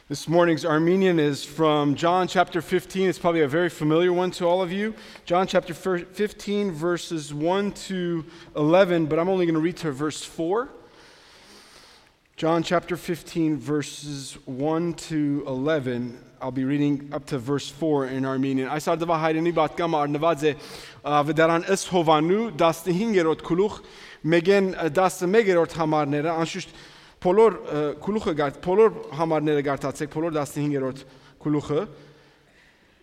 This morning's Armenian is from John chapter 15. It's probably a very familiar one to all of you. John chapter 15, verses 1 to 11, but I'm only going to read to verse 4. John chapter 15, verses 1 to 11. I'll be reading up to verse 4 in Armenian. Այս արդվա հայրենի բատկամ արնված է վդարան ըս հովանու 15-րդ քուլուխ մեգեն 11-րդ համարները անշուշտ Բոլոր համարները գարտացեք, բոլոր 15-րդ քուլուխը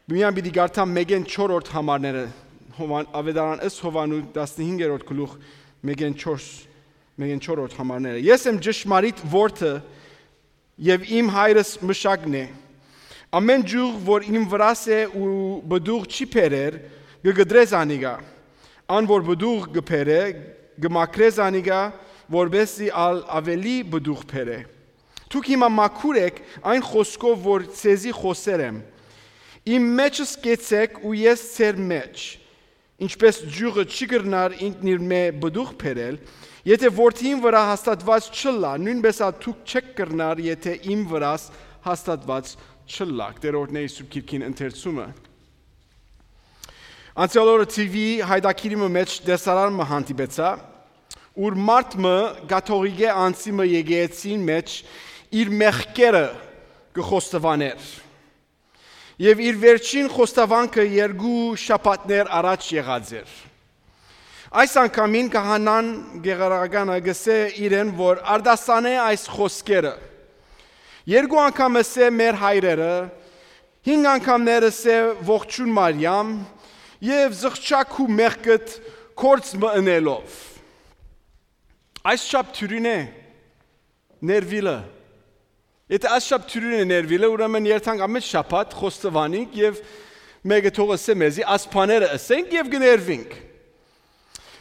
Միան պիտի գարտամ մեգեն 4-րդ համարները ավետարան ըս հովանու 15-րդ քուլուխ մեգեն 4-րդ համարները Ես եմ ճշմարիտ որդը եւ իմ հայրս մշակն է Ամեն ջուղ որ իմ վրաս է ու բդուղ չի փերեր գգդրես անիգա Ան որ բդուղ գփերը գմակրես անիգա որբեսի ավելի բդուղ փերը Դուք հիմա մաքուր եք այն խոսքով որ ցեզի խոսեր եմ Իմ մեջս կեցեք ու ես ցեր մեջ Ինչպես ջուղը չի գրնար ինքն իր մե բդուղ փերել Եթե որդին վրա հաստատված չլա նույնպես դուք չեք գրնար եթե իմ վրաս հաստատված չլա Տերորդների սուրբ քիրքին ընթերցումը Անցյալ օրը TV հայդակիրի մեջ դեսարան մը հանդիպեցա Ուր մարդը գաթողիկե անցիմը եկեցին մեջ իր մեղքերը կխոստովաներ Եվ իր վերջին խոստովանքը երկու շաբաթներ առաջ եղած էր Այս անգամին քահանան գեղարագանը գսե իրեն որ արդասանե այս խոսքերը Երկու անգամ ասե մեր հայրերը հինգ անգամներ ասե ողջուն Մարիամ եւ զղջակ ու մեղքդ կորց մնելով Այս շապ թյուրին է ներվիլը Եթե այս շապ թյուրին է ներվիլը ուրեմն երթանք ամեն շաբաթ խոստովանենք եւ մեկը թող ասե մեզի ասփաները ասենք եւ գներվենք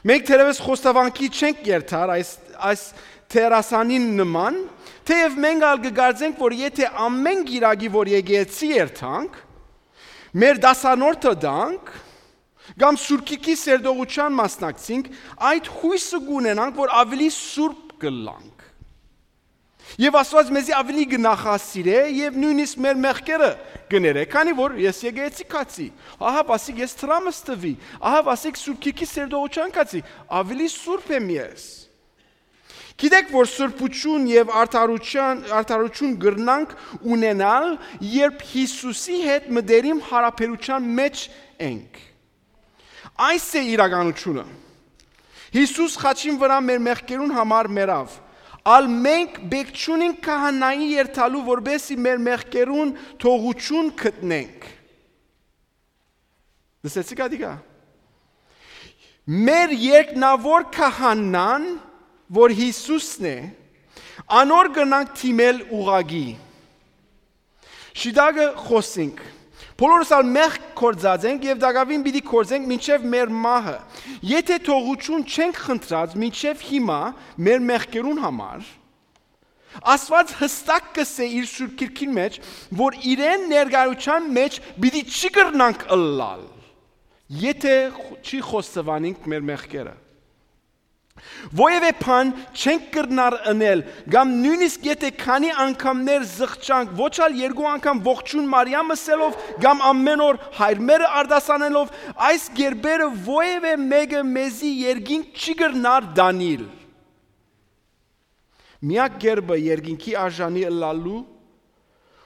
Մենք թերևս խոստովանքի չենք երթար այս թերասանին նման թեև մենք ալ կգարձենք որ եթե ամեն գիրագի որ եկեցի երթանք մեր դասանորդը դանք Կամ սուրկիկի սերդողության մասնակցինք, այդ հույսը գունենանք, որ ավելի սուրբ կլանք։ Եվ Աստված մեզի ավելի գնախասիրե եւ նույնիսկ մեր մեղքերը գներե, քանի որ ես եկեցի կացի։ Ահա ասիկ ես տրամս տվի, ահա ասիկ սուրկիկի սերդողության կացի, ավելի սուրբ եմ ես։ Գիտեք, որ սուրբություն եւ արդարություն գրնանք ունենալ, երբ Հիսուսի հետ մտերիմ հարաբերության մեջ ենք։ Այս է իրականությունը Հիսուս խաչին վրա մեր մեղքերուն համար մերավ Ալ մենք բեք չունենք քահանայի երթալու որբեսի մեր մեղքերուն թողություն գտնենք Լսեցիք ադիգա Մեր երկնավոր քահանան որ Հիսուսն է անոր գնանք թիմել ուղագի Շիդագը խոսենք Բոլորս ալ մեղք կործած ենք եւ դակավին պիտի կործենք մինչեւ մեր մահը։ Եթե թողություն չենք խնդրած մինչեւ հիմա մեր մեղքերուն համար, Աստված հստակ կսե իր սուրբ քիրքին մեջ, որ իրեն ներկայության մեջ պիտի չի կրնանք ըլլալ, եթե չի խոստովանենք մեր մեղքերը։ Ովևէ բան չենք կրնար անել, կամ նույնիսկ եթե քանի անգամներ զղջանք, ոչ ալ երկու անգամ ողջուն Մարիամ ասելով, կամ ամեն օր հայրմերը արդասանելով, այս գերբերը ովևէ մեկը մեզի երկինք չի կրնար դանիլ։ Միակ գերբը երկինքի արժանի ըլլալու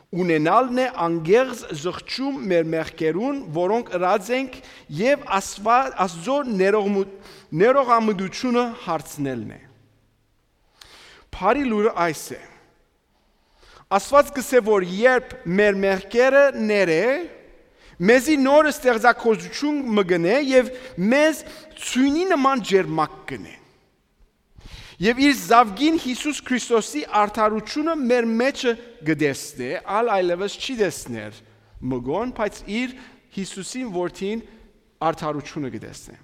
ունենալն է անգեղծ զղջում մեր մեղքերուն, որոնք ըրած ենք եւ Աստծո ներողամտությունը հարցնելն է։ Փարի լուրը այս է։ Աստված կսե որ երբ մեր մեղքերը ներե, մեզի նոր ստեղծագործություն մգնե եւ մեզ ցույնի նման ջերմակ կնե։ Եվ իր զավգին Հիսուս Քրիստոսի արդարությունը մեր մեջը գտեսնե, այլևս չի դեսներ մգոն, բայց իր Հիսուսին որդին արդարությունը գտեսնե։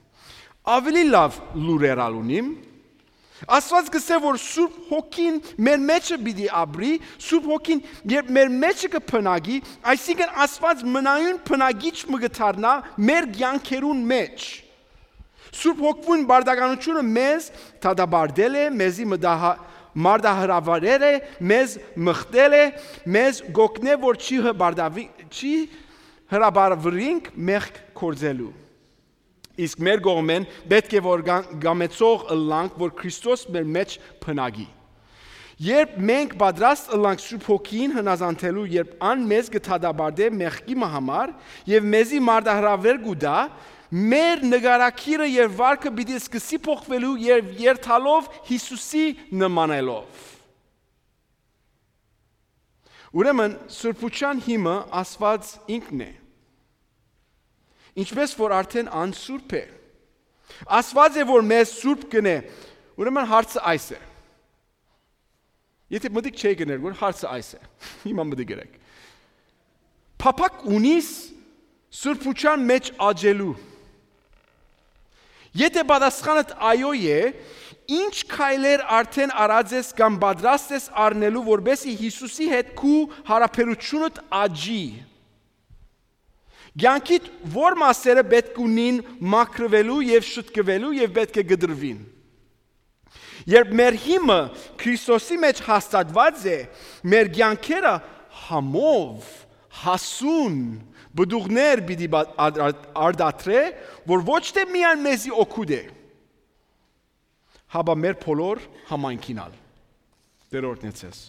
Ավելի լավ լուրեր ալունիմ, Աստված կսե որ Սուրբ Հոգին մեր մեջը պիտի ապրի, Սուրբ Հոգին երբ մեր մեջը կփնագի, այսինքն Աստված մնայուն փնագիչ մգթարնա մեր կյանքերուն մեջ։ Սուրբ Հոգուն բարդականությունը մեզ դադարել է, մեզի մարդահրավերել է, մեզ մխտել է, մեզ գոգնել, որ չի հրաբարվրինք մեղք կործելու։ Իսկ մեր կողմեն պետք է որ գամեցող ըլլանք, որ Քրիստոս մեր մեջ փնագի։ Երբ մենք պատրաստ ըլլանք Սուրբ Հոգին հնազանդելու, երբ ան մեզ կթադաբարդե մեղքի համար եւ մեզի մարդահրավեր կուտա, մեր նկարակիրը եւ վարքը պիտի սկսի փոխվելու եւ երթալով Հիսուսի նմանելով։ Ուրեմն սուրբության հիմը Աստված ինքն է։ Ինչպես որ արդեն անսուրբ է։ Աստված է որ մեզ սուրբ կնե։ Ուրեմն հարցը այս է։ Եթե մտիկ չէ գներ, որ հարցը այս է։ Հիմա մտիկ գրեք։ Փափակ ունիս սուրբության մեջ աճելու։ Եթե պատասխանդ այո է, ինչ քայլեր արդեն արած ես կամ պատրաստ ես առնելու, որբեսի Հիսուսի հետ քու հարաբերությունդ աճի։ Կյանքիդ որ մասերը պետք ունին մաքրվելու եւ շտկվելու եւ պետք է գդրվին։ Երբ մեր հիմը Քրիստոսի մեջ հաստատված է, մեր կյանքերը համով, հասուն, բդուղներ պիտի արդատրե, որ ոչ թե միայն մեզի օգուտ է, հապա մեր բոլոր համայնքին ալ։ Տեր օրհնեցես։